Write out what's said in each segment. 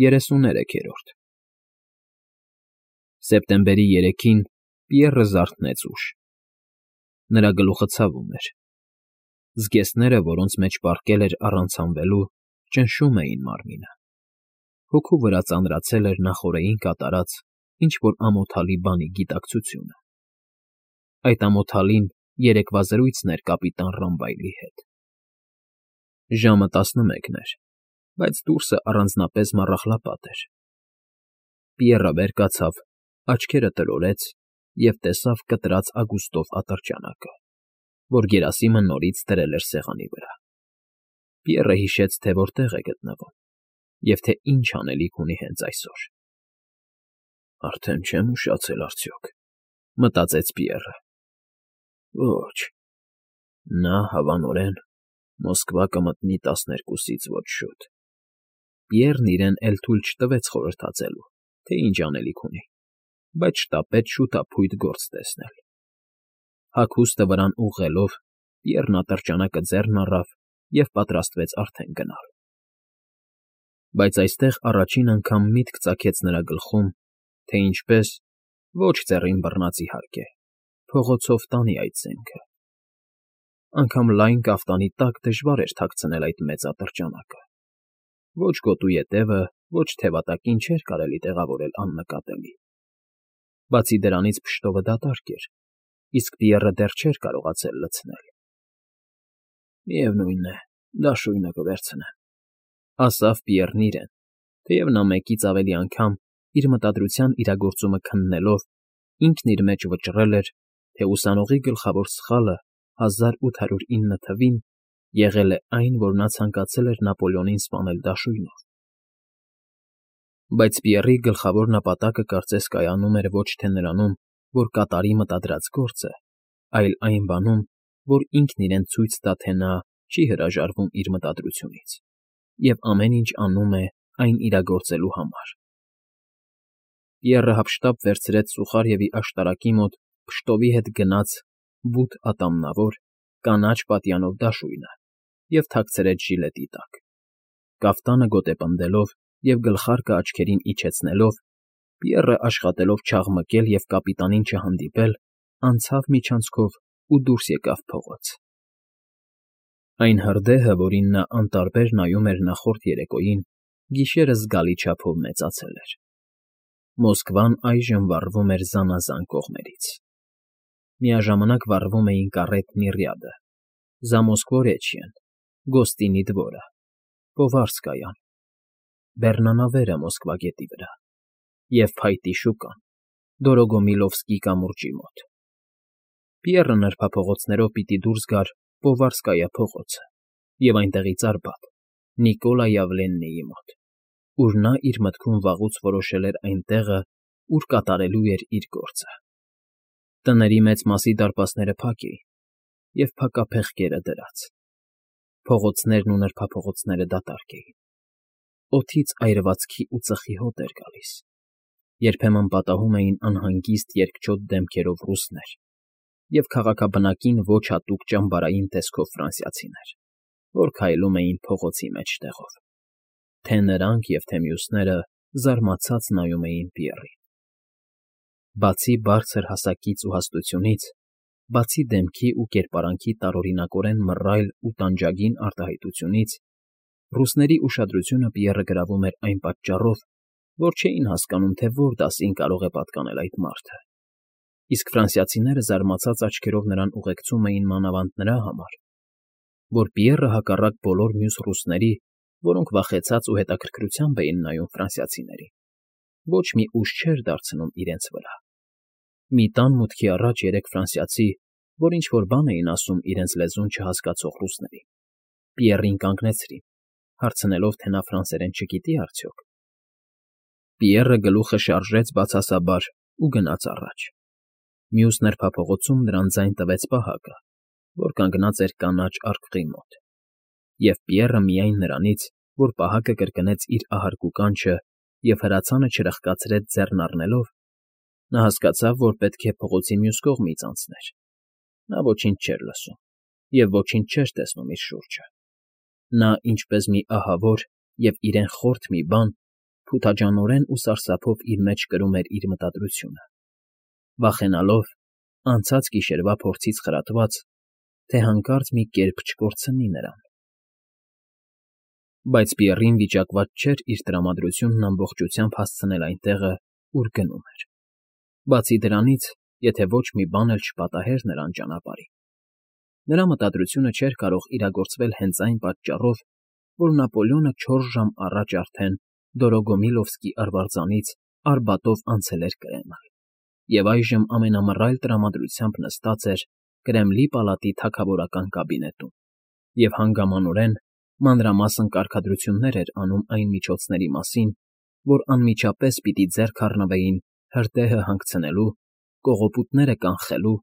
33-րդ Սեպտեմբերի 3-ին Պիեռը զարթնեց ուշ։ Նրա գլուխը ցավում էր։ Զգեստները, որոնց մեջ պառկել էր առանց հանվելու, ճնշում էին մարմինը։ Հոգու վրա ծանրացել էր նախօրեին կատարած ինչ֊որ ամոթալի բանի գիտակցությունը։ Այդ ամոթալին երեկվա զրույցն էր կապիտան Ռամբայլի հետ։ Ժամը 11 էր, բայց դուրսը առանձնապես մառախլապատ էր։ Պիեռը վեր կացավ, աչքերը տրորեց և տեսավ կտրած ագուստով ատրճանակը, որ Գերասիմը նորից դրել էր սեղանի վրա։ Պիեռը հիշեց, թե որտեղ է գտնվում և թե ինչ անելիք ունի հենց այսօր։ «Արդեն չեմ ուշացել արդյոք,֊ մտածեց Պիեռը։ Ոչ, նա հավանորեն Մոսկվա կմտնի 12-ից ոչ շուտ»։ Պիեռն իրեն էլ թույլ չտվեց խորհրդածելու, թե ինչ անելիք ունի, բայց շտապեց շուտափույթ գործ տեսնել։ Հագուստը վրան ուղղելով՝ Պիեռն ատրճանակը ձեռն առավ և պատրաստվեց արդեն գնալ։ Բայց այստեղ առաջին անգամ միտք ծագեց նրա գլխում, թե ինչպես, ոչ ձեռին բռնած իհարկե, փողոցով տանի այդ զենքը։ Անգամ լայն կաֆտանի տակ դժվար էր թաքցնել այդ մեծ ատրճանակը։ Ոչ գոտու ետևը, ոչ թևատակին չէր կարելի տեղավորել աննկատելի։ Բացի դրանից փշտովը դատարկ էր, իսկ Պիեռը դեռ չէր կարողացել լցնել։ «Միևնույն է, դաշույնը կվերցնեմ,֊ ասավ Պիեռն իրեն, թեև նա մեկից ավելի անգամ, իր մտադրության իրագործումը քննելով, ինքն իր մեջ վճռել էր, թե ուսանողի գլխավոր սխալը 1809 թվին եղել է այն, որ նա ցանկացել էր Նապոլեոնին սպանել դաշույնով։ Բայց Պիեռի գլխավոր նպատակը կարծես կայանում էր ոչ թե նրանում, որ կատարի մտադրած գործը, այլ այն բանում, որ ինքն իրեն ցույց տա, թե նա չի հրաժարվում իր մտադրությունից և ամեն ինչ անում է այն իրագործելու համար։ Պիեռը հափշտապ վերցրեց Սուխարևի աշտարակի մոտ փշտովի հետ գնած բութ ատամնավոր, կանաչ պատյանով դաշույնը և թաքցրեց ժիլետի տակ։ Կաֆտանը գոտեպնդելով և գլխարկը աչքերին իջեցնելով, Պիեռը, աշխատելով չաղմկել և կապիտանին չհանդիպել, անցավ միջանցքով ու դուրս եկավ փողոց։ Այն հրդեհը, որին նա անտարբեր նայում էր նախորդ երեկոյին, գիշերը զգալի չափով մեծացել էր։ Մոսկվան այժմ վառվում էր զանազան կողմերից։ Միաժամանակ վառվում էին Կառետն Իռյադը, Զամոսկվորեչիեն, Գոստինի դվորը, Պովարսկայան, Բեռնանավերը Մոսկվա գետի վրա և փայտի շուկան, Դորոգոմիլովսկի կամուրջի մոտ։ Պիեռը նրբափողոցներով պիտի դուրս գար Պովարսկայա փողոցը և այնտեղից Արբաթ, Նիկոլա Յավլեննիի մոտ, ուր նա իր մտքում վաղուց որոշել էր այն տեղը, ուր կատարելու էր իր գործը։ Տների մեծ մասի դարպասները փակ էին և փակափեղկերը դրած։ Փողոցներն ու նրբափողոցները դատարկ էին։ Օդից այրվածքի ու ծխի հոտ էր գալիս։ Երբեմն պատահում էին անհանգիստ երկչոտ դեմքերով ռուսներ և քաղաքաբնակին ոչ հատուկ ճամբարային տեսքով ֆրանսիացիներ, որ քայլում էին փողոցի մեջտեղով։ Թե նրանք և թե մյուսները զարմացած նայում էին Պիեռին։ Բացի բարձր հասակից ու հաստությունից, բացի դեմքի ու կերպարանքի տարօրինակորեն մռայլ ու տանջագին արտահայտությունից, ռուսների ուշադրությունը Պիեռը գրավում էր այն պատճառով, որ չէին հասկանում, թե որ դասին կարող է պատկանել այդ մարդը, իսկ ֆրանսիացիները զարմացած աչքերով նրան ուղեկցում էին մանավանդ նրա համար, որ Պիեռը, հակառակ բոլոր մյուս ռուսների, որոնք վախեցած ու հետաքրքրությամբ էին նայում ֆրանսիացիներին, ոչ մի ուժ չէր դարձնում իրենց վրա։ Մի տան մուտքի առաջ երեք ֆրանսիացի, որ ինչ֊որ բան էին ասում իրենց լեզուն չհասկացող ռուսներին, Պիեռին կանգնեցրին, հարցնելով, թե նա ֆրանսերեն չգիտի արդյոք։ Պիեռը գլուխը շարժեց բացասաբար ու գնաց առաջ։ Մյուս նրբափողոցում նրան ձայն տվեց պահակը, որ կանգնած էր կանաչ արկղի մոտ, և Պիեռը միայն նրանից, որ պահակը կրկնեց իր ահարկու կանչը և հրացանը չրխկացրեց ձեռն առնելով, նա հասկացավ, որ պետք է փողոցի մյուս կողմից անցներ։ Նա ոչինչ չէր լսում և ոչինչ չէր տեսնում իր շուրջը։ Նա, ինչպես մի ահավոր և իրեն խորթ մի բան, փութաջանորեն ու սարսափով իր մեջ կրում էր իր մտադրությունը, վախենալով, անցած գիշերվա փորձից խրատված, թե հանկարծ մի կերպ չկորցնի նրան։ Բայց Պիեռին վիճակված չէր իր տրամադրությունն ամբողջությամբ հասցնել այնտեղը, ուր գնում էր։ Բացի դրանից, եթե ոչ մի բան էլ չպատահեր նրան ճանապարհին։ Նրա մտադրությունը չէր կարող իրագործվել հենց այն պատճառով, որ Նապոլեոնը 4 ժամ առաջ արդեն Դորոգոմիլովսկի արվարձանից Արբատով անցել էր Կրեմլ, և այժմ ամենամռայլ տրամադրությամբ նստած էր Կրեմլի պալատի թագավորական կաբինետում և հանգամանորեն մանրամասն կարգադրություններ էր անում այն միջոցների մասին, որ անմիջապես պիտի ձեռք առնվեին հրդեհը հանգցնելու, կողոպուտները կանխելու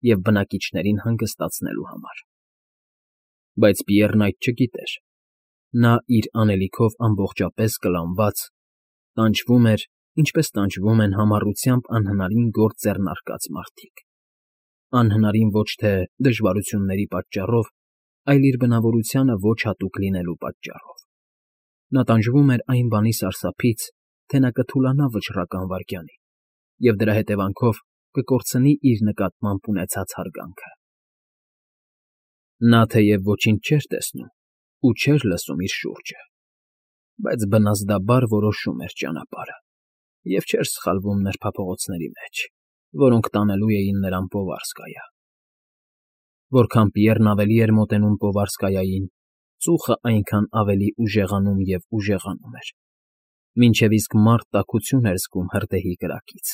և բնակիչներին հանգստացնելու համար։ Բայց Պիեռն այդ չգիտեր։ Նա իր անելիքով ամբողջապես կլանված, տանջվում էր, ինչպես տանջվում են համառությամբ անհնարին գործ ձեռնարկած մարդիկ։ Անհնարին ոչ թե դժվարությունների պատճառով, այլ իր բնավորությանը ոչ հատուկ լինելու պատճառով։ Նա տանջվում էր այն բանի սարսափից, թե նա կթուլանա վճռական վայրկյանին, և դրա հետևանքով կկորցնի իր նկատմամբ ունեցած հարգանքը։ Նա թեև ոչինչ չէր տեսնում ու չէր լսում իր շուրջը, բայց բնազդաբար որոշում էր ճանապարհը և չէր սխալվում նրբափողոցների մեջ, որոնք տանելու էին նրան Պովարսկայա։ Որքան Պիեռն ավելի էր մոտենում Պովարսկայային, ծուխը այնքան ավելի ուժեղանում և ուժեղանում էր, մինչև իսկ մարդ տաքություն էր զգում հրդեհի կրակից։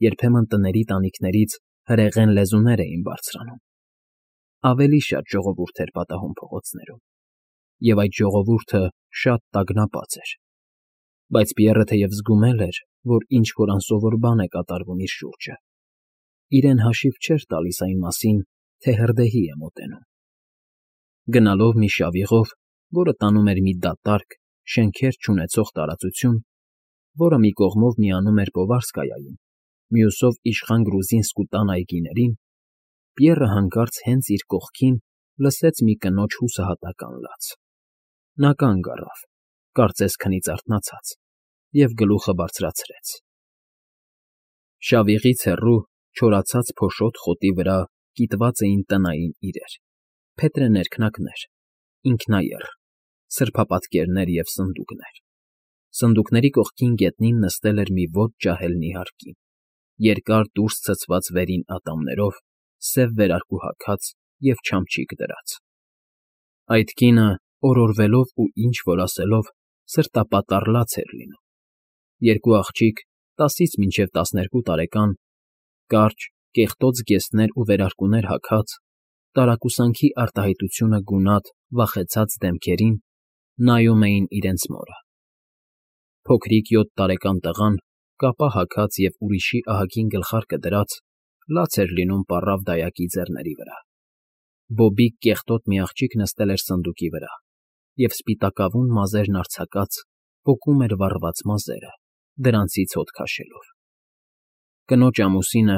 Երբեմն տների տանիքներից հրեղեն լեզուներ էին բարձրանում։ Ավելի շատ ժողովուրդ էր պատահում փողոցներում, և այդ ժողովուրդը շատ տագնապած էր։ Բայց Պիեռը թեև զգում էր, որ ինչ֊որ անսովոր բան է կատարվում իր շուրջը, իրեն հաշիվ չէր տալիս այն մասին, թե հրդեհի է մոտենում։ Գնալով մի շավիղով, որը տանում էր մի դատարկ, շենքեր չունեցող տարածություն, որը մի կողմով միանում էր Պովարսկայային, մյուսով իշխան Գրուզինսկու տան այգիներին, Պիեռը հանկարծ հենց իր կողքին լսեց մի կնոջ հուսահատական լաց։ Նա կանգ առավ, կարծես քնից արթնացած, և գլուխը բարձրացրեց։ Շավիղից հեռու, չորացած փոշոտ խոտի վրա կիտված էին տնային իրեր, փետրե ներքնակներ, ինքնաեռ, սրբապատկերներ և սնդուկներ։ Սնդուկների կողքին գետնին նստել էր մի ոտ ջահել նիհար կին, երկար դուրս ցցված վերին ատամներով, սև վերարկու հագած և չամչիկ դրած։ Այդ կինը, օրորվելով ու ինչ֊որ ասելով, սրտապատառ լաց էր լինում։ Երկու աղջիկ, 10-ից մինչև 12 տարեկան, կարճ, կեղտոտ զգեստներ ու վերարկուներ հագած, տարակուսանքի արտահայտությունը գունատ, վախեցած դեմքերին, նայում էին իրենց մորը։ Փոքրիկ 7 տարեկան տղան, կապա հագած և ուրիշի ահագին գլխարկը դրած, լաց էր լինում պառավ դայակի ձեռների վրա։ Բոբիկ կեղտոտ մի աղջիկ նստել էր սնդուկի վրա և սպիտակավուն մազերն արձակած պոկում էր վառված մազերը, դրանցից հոտ քաշելով։ Կնոջ ամուսինը,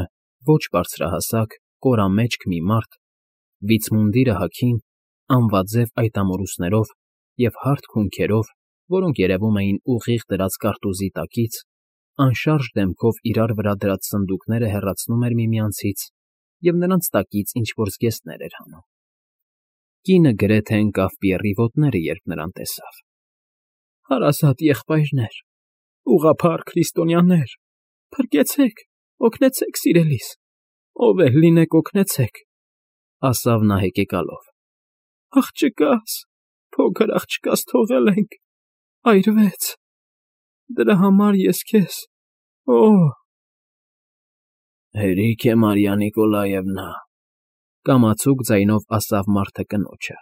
ոչ բարձրահասակ, կորամեջք մի մարդ, վիցմունդիրը հագին, անվաձև այտամորուսներով և հարթ քունքերով, որոնք երևում էին ուղիղ դրած կարտուզի տակից, անշարժ դեմքով իրար վրա դրած սնդուկները հեռացնում էր միմյանցից և նրանց տակից ինչ֊որ զգեստներ էր հանում։ Կինը գրեթե ընկավ Պիեռի ոտները, երբ նրան տեսավ։ «Հարազատ եղբայրներ, ուղղափառ քրիստոնյաներ, փրկեցեք, օգնեցեք սիրելիս, ով էլ լինեք օգնեցեք», ասավ նա հեկեկալով։ «Աղջկաս, փոքր աղջկաս թողել ենք, այրվեց, դրա համար ես քեզ, օհ»։ «Հերիք է, Մարիա Նիկոլաևնա», կամացուկ ձայնով ասավ մարդը կնոջը,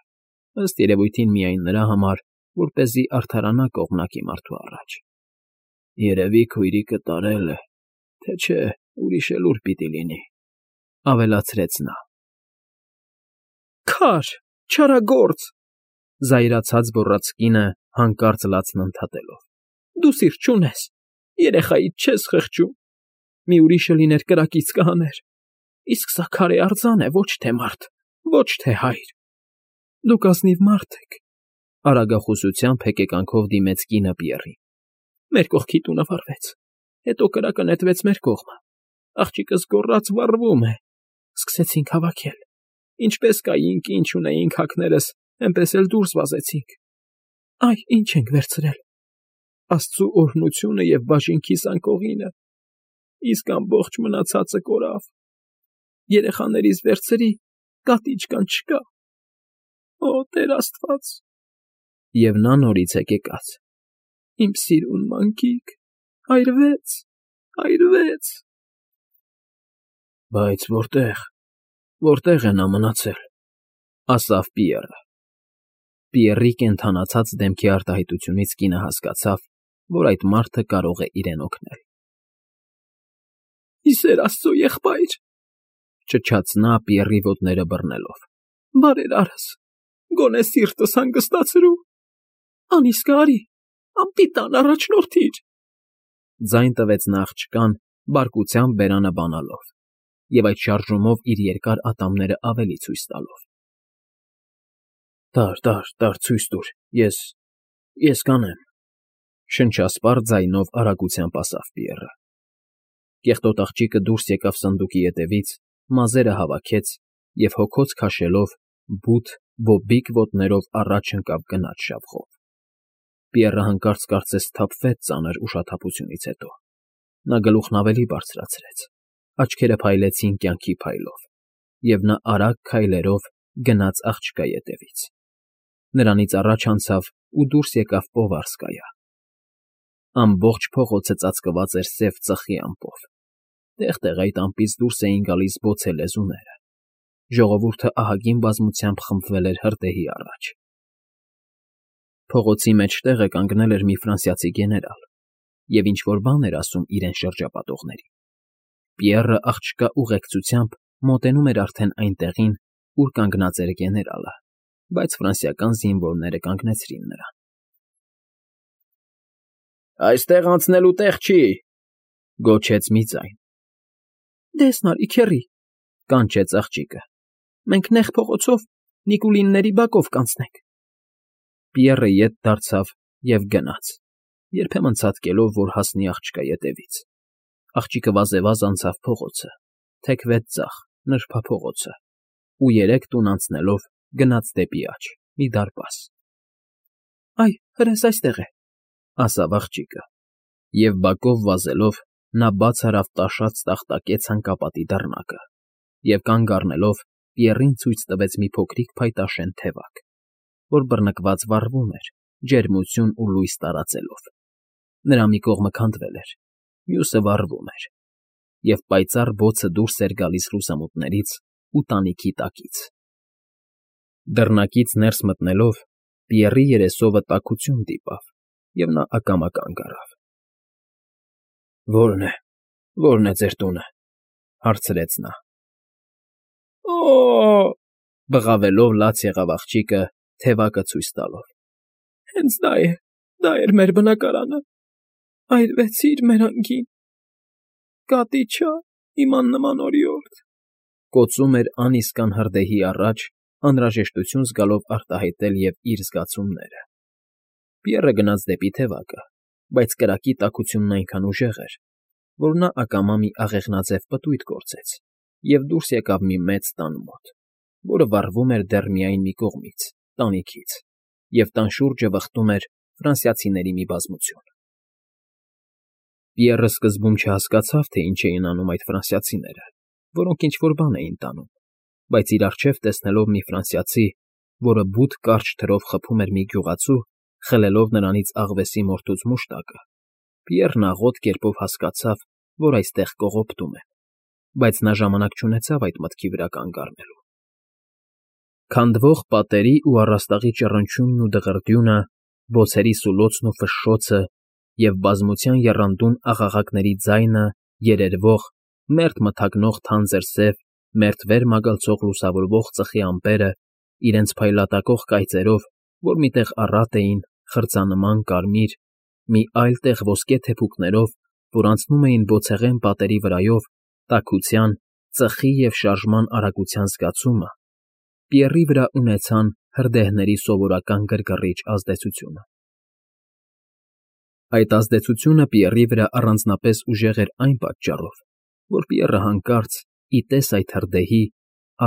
ըստ երևույթին միայն նրա համար, որպեսզի արդարանա կողմնակի մարդու առաջ։ «Երևի քույրիկը տարել է, թե չէ ուրիշ էլ ուր պիտի լինի», ավելացրեց նա։ «Քար, չարագործ», զայրացած գոռաց կինը, հանկարծ լացն ընդհատելով։ «Դու սիրտ չունես, երեխայիդ չես խղճում, մի ուրիշը լիներ կրակից կհաներ, իսկ սա քարե արձան է, ոչ թե մարդ, ոչ թե հայր։ Դուք ազնիվ մարդ եք», արագախոսությամբ հեկեկանքով դիմեց կինը Պիեռին։ Մեր կողքի տունը վառվեց, հետո կրակը նետվեց մեր կողմը, աղջիկս գոռաց վառվում է, սկսեցինք հավաքել, ինչպես կայինք, ինչ ունեինք հագներս, էնպես էլ դուրս վազեցինք, այ ինչ ենք վերցրել, Աստծու օրհնությունը և բաժինքիս անկողինը, իսկ ամբողջ մնացածը կորավ, երեխաներիս վերցրի, կատի կան չկա, օ, Տեր Աստված… Եվ նա նորից է կեկաց. Իմ սիրուն մանկիկ, այրվեց, այրվեց… Բայց որտե՞ղ է նա մնացել, ասավ Պիեռը։ Պիեռի կենդանացած դեմքի արտահայտությունից կինը հասկացավ, որ այդ մարդը կարող է իրեն օգնել։ ֊ Ի սեր Աստծո, եղբայր,֊ ճչաց նա Պիեռի ոտները բռնելով,֊ բարերարս, գոնե սիրտս հանգստացրու… Անիսկը արի, անպիտան առաջնորդիր… Ձայն տվեց նա աղջկան, բարկությամբ բերանը բանալով և այդ շարժումով իր երկար ատամները ավելի ցույց տալով։ Տար, ցույց տուր, ես կանեմ,֊ շնչասպառ ձայնով արագությամբ ասավ Պիեռը։ Կեղտոտ աղջիկը դուրս եկավ սնդուկի ետևից, մազերը հավաքեց և հոգոց քաշելով բութ, բոբիկ ոտներով առաջ ընկավ գնաց շավխով։ Պիեռը հանկարծ կարծես սթափվեց ծանր ուշաթափությունից հետո։ Նա գլուխն ավելի բարձրացրեց, աչքերը փայլեցին կյանքի փայլով, և նա արագ քայլերով գնաց աղջկա ետևից։ Նրանից առաջ անցավ ու դուրս եկավ Պովարսկայա։ Ամբողջ փողոցը ծածկված էր սև ծխի ամպով, տեղ֊տեղ այդ ամպից դուրս էին գալիս բոցե լեզուները։ Ժողովուրդը ահագին բազմությամբ խմբվել էր հրդեհի առաջ։ Փողոցի մեջտեղը կանգնել էր մի ֆրանսիացի գեներալ և ինչ֊որ բան էր ասում իրեն շրջապատողներին։ Պիեռը աղջկա ուղեկցությամբ մոտենում էր արդեն այն տեղին, ուր կանգնած էր գեներալը, բայց ֆրանսիական զինվորները կանգնեցրին նրան։ «Այստեղ անցնելու տեղ չի,֊ գոչեց մի ձայն։ Դես նարի քեռի,֊ կանչեց աղջիկը,֊ մենք նեղ փողոցով Նիկուլինների բակով կանցնենք։ Պիեռը ետ դարձավ և գնաց, երբեմն ցատկելով, որ հասնի աղջկա ետևից։ Աղջիկը վազևազ անցավ փողոցը, թեքվեց ձախ, նրբափողոցը ու երեք տուն անցնելով գնաց դեպի աջ, մի դարպաս։ Այ, հրես այստեղ է,֊ ասավ աղջիկը, և բակով վազելով նա բաց արավ տաշած տախտակե ցանկապատի դռնակը և կանգ առնելով Պիեռին ցույց տվեց մի փոքրիկ փայտաշեն թևակ, որ բռնկված վառվում էր, ջերմություն ու լույս տարածելով։ Նրա մի կողմը քանդվել էր, մյուսը վառվում էր, և պայծառ բոցը դուրս էր գալիս լուսամուտներից ու տանիքի տակից։ Դռնակից ներս մտնելով Պիեռի երեսովը տաքություն դիպավ, և նա ակամա կանգ առավ։ Ո՞րն է ձեր տունը,֊ հարցրեց նա։ Օ՜օ,֊ բղավելով լաց եղավ աղջիկը, թևակը ցույց տալով,֊ հենց դա էր մեր բնակարանը, այրվեցիր մեր անկին, կատի չա, իմ աննման օրիորդ,֊ կոծում էր անիսկան հրդեհի առաջ, անհրաժեշտություն զգալով արտահայտել և իր զգացումները։ Պիեռը գնաց դեպի թևակը, բայց կրակի տաքությունն այնքան ուժեղ էր, որ նա ակամա մի աղեղնաձև պտույտ կորցրեց և դուրս եկավ մի մեծ տան մոտ, որը վառվում էր դեռ միայն մի կողմից, տանիքից, և տան շուրջը վխտում էր ֆրանսիացիների մի բազմություն։ Պիեռը սկզբում չհասկացավ, թե ինչ էին անում այդ ֆրանսիացիները, որոնք ինչ֊որ բան էին տանում, բայց իր առջև տեսնելով մի ֆրանսիացի, որը բութ կարճ թրով խփում էր մի գյուղացու, խլելով նրանից աղվեսի մորթուց մուշտակը, Պիեռն աղոտ կերպով հասկացավ, որ այստեղ կողոպտում են, բայց նա ժամանակ չունեցավ այդ մտքի վրա կանգ առնելու։ Քանդվող պատերի ու առաստաղի ճռնչյունն ու դղրդյունը, բոցերի սուլոցն ու ֆշշոցը և բազմության եռանդուն աղաղակների ձայնը, երերվող, մերթ մթագնող թանձր սև, մերթ վեր մագլցող լուսավորվող ծխի ամպերը իրենց փայլատակող կայծերով, որ մի տեղ առատ էին, խրձանման կարմիր, մի այլ տեղ ոսկե թեփուկներով, որ անցնում էին բոցեղեն պատերի վրայով, տաքության, ծխի և շարժման արագության զգացումը Պիեռի վրա ունեցան հրդեհների սովորական գրգռիչ ազդեցությունը։ Այդ ազդեցությունը Պիեռի վրա առանձնապես ուժեղ էր այն պատճառով, որ Պիեռը հանկարծ, ի տես այդ հրդեհի,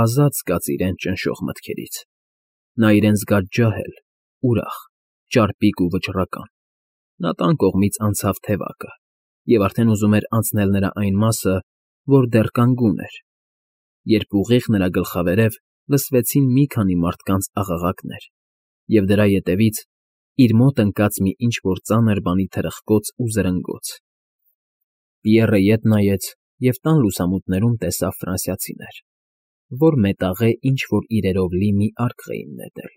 ազատ զգաց իրեն ճնշող մտքերից. նա իրեն զգաց ջահել, ուրախ, ճարպիկ ու վճռական. նա տան կողմից անցավ թևակը և արդեն ուզում էր անցնել նրա այն մասը, որ դեռ կանգուն էր, երբ ուղիղ նրա գլխավերև լսվեցին մի քանի մարդկանց աղաղակներ, և դրա ետևից իր մոտ ընկած մի ինչ֊որ ծանր բանի թրխկոց ու զրնգոց։ Պիեռը ետ նայեց և տան լուսամուտներում տեսավ ֆրանսիացիներ, որ մետաղե ինչ֊որ իրերով լի մի արկղ էին նետել։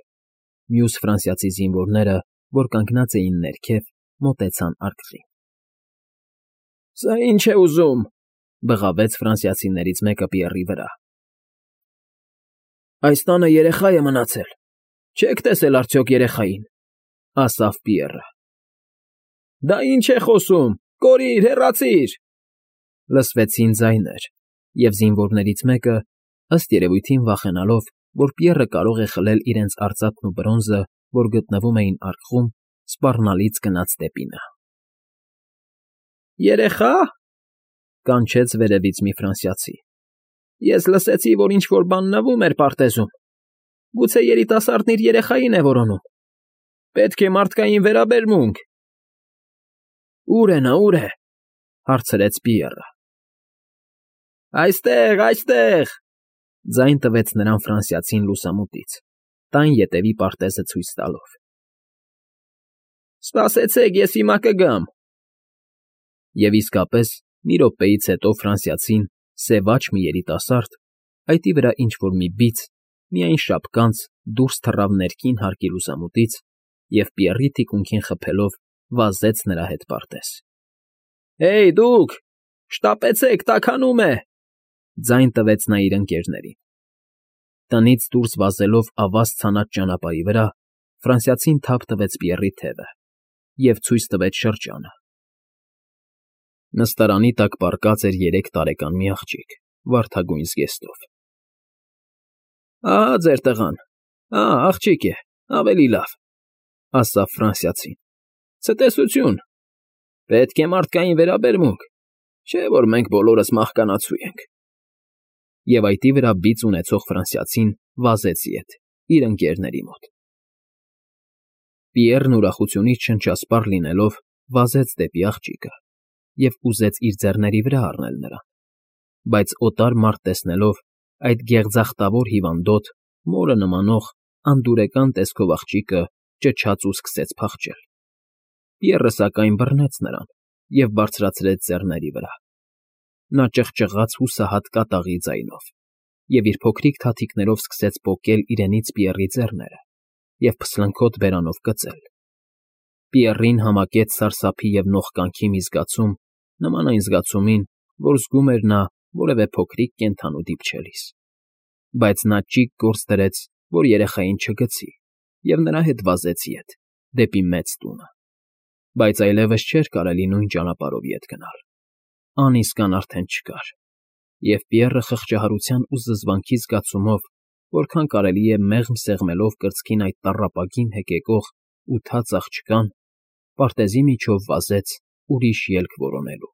Մյուս ֆրանսիացի զինվորները, որ կանգնած էին ներքև, մոտեցան արկղին։ ֊ Սա ի՞նչ է ուզում,֊ բղավեց ֆրանսիացիներից մեկը Պիեռի վրա։ ֊ Այս տանը երեխա է մնացել, չե՞ք տեսել արդյոք երեխային,֊ ասավ Պիեռը։ ֊ Դա ի՞նչ է խոսում, կորիր, հեռացիր,֊ լսվեցին ձայներ, և զինվորներից մեկը, ըստ երևույթին վախենալով, որ Պիեռը կարող է խլել իրենց արծաթն ու բրոնզը, որ գտնվում էին արկղում, սպառնալից գնաց դեպի նա։ ֊ Երեխա,֊ կանչեց վերևից մի ֆրանսիացի։֊ Ես լսեցի, որ ինչ֊որ բան նվում էր պարտեզում. գուցե երիտասարդն իր երեխային է որոնում։ Պետք է մարդկային վերաբերմունք։ ֊ Ո՞ւր է նա, ո՞ւր է,֊ հարցրեց Պիեռը։ ֊ Այստեղ, այստեղ,֊ ձայն տվեց նրան ֆրանսիացին լուսամուտից, տան ետևի պարտեզը ցույց տալով։ ֊ Սպասեցեք, ես հիմա կգամ։ Եվ իսկապես, մի րոպեից հետո ֆրանսիացին, սևաչ մի երիտասարդ, այտի վրա ինչ֊որ մի բիծ, միայն շապկանց, դուրս թռավ ներքին հարկի լուսամուտից և Պիեռի թիկունքին խփելով վազեց նրա հետ պարտեզ։ ֊ Հեյ, դուք, շտապեցեք, տաքանում է,֊ ձայն տվեց նա իր ընկերներին։ Տնից դուրս վազելով ավազ ցանած ճանապարհի վրա, ֆրանսիացին թափ տվեց Պիեռի թևը և ցույց տվեց շրջանը։ Նստարանի տակ պառկած էր 3 տարեկան մի աղջիկ վարդագույն զգեստով։ ֊ Ահա ձեր տղան, աղջիկ է, ավելի լավ,֊ ասավ ֆրանսիացին։ ֊ Ցտեսություն, պետք է մարդկային վերաբերմունք, չէ՞ որ մենք բոլորս մահկանացու ենք։ Եվ այտի վրա բիծ ունեցող ֆրանսիացին վազեց ետ, իր ընկերների մոտ։ Պիեռն ուրախությունից շնչասպառ լինելով վազեց դեպի աղջիկը և ուզեց իր ձեռների վրա առնել նրան, բայց օտար մարդ տեսնելով այդ գեղձախտավոր հիվանդոտ, մորը նմանող, անդուրեկան տեսքով աղջիկը ճչաց ու սկսեց փախչել։ Պիեռը, սակայն, բռնեց նրան և բարձրացրեց ձեռների վրա։ Նա ճղճղաց հուսահատ կատաղի ձայնով և իր փոքրիկ թաթիկներով սկսեց պոկել իրենից Պիեռի ձեռները և փսլնքոտ բերանով կծել։ Պիեռին համակեց սարսափի և նողկանքի մի զգացում, նման այն զգացումին, որ զգում էր նա որևէ փոքրիկ կենդանու դիպչելիս։ Բայց նա ճիգ գործ դրեց, որ երեխային չգցի, և նրա հետ վազեց ետ, դեպի մեծ տունը։ Բայց այլևս չէր կարելի նույն ճանապարհով ետ գնալ։ Անիսկան արդեն չկար, և Պիեռը խղճահարության ու զզվանքի զգացումով, որքան կարելի է մեղմ սեղմելով կրծքին այդ տառապագին հեկեկող ու թաց աղջկան, պարտեզի միջով վազեց ուրիշ ելք որոնելու։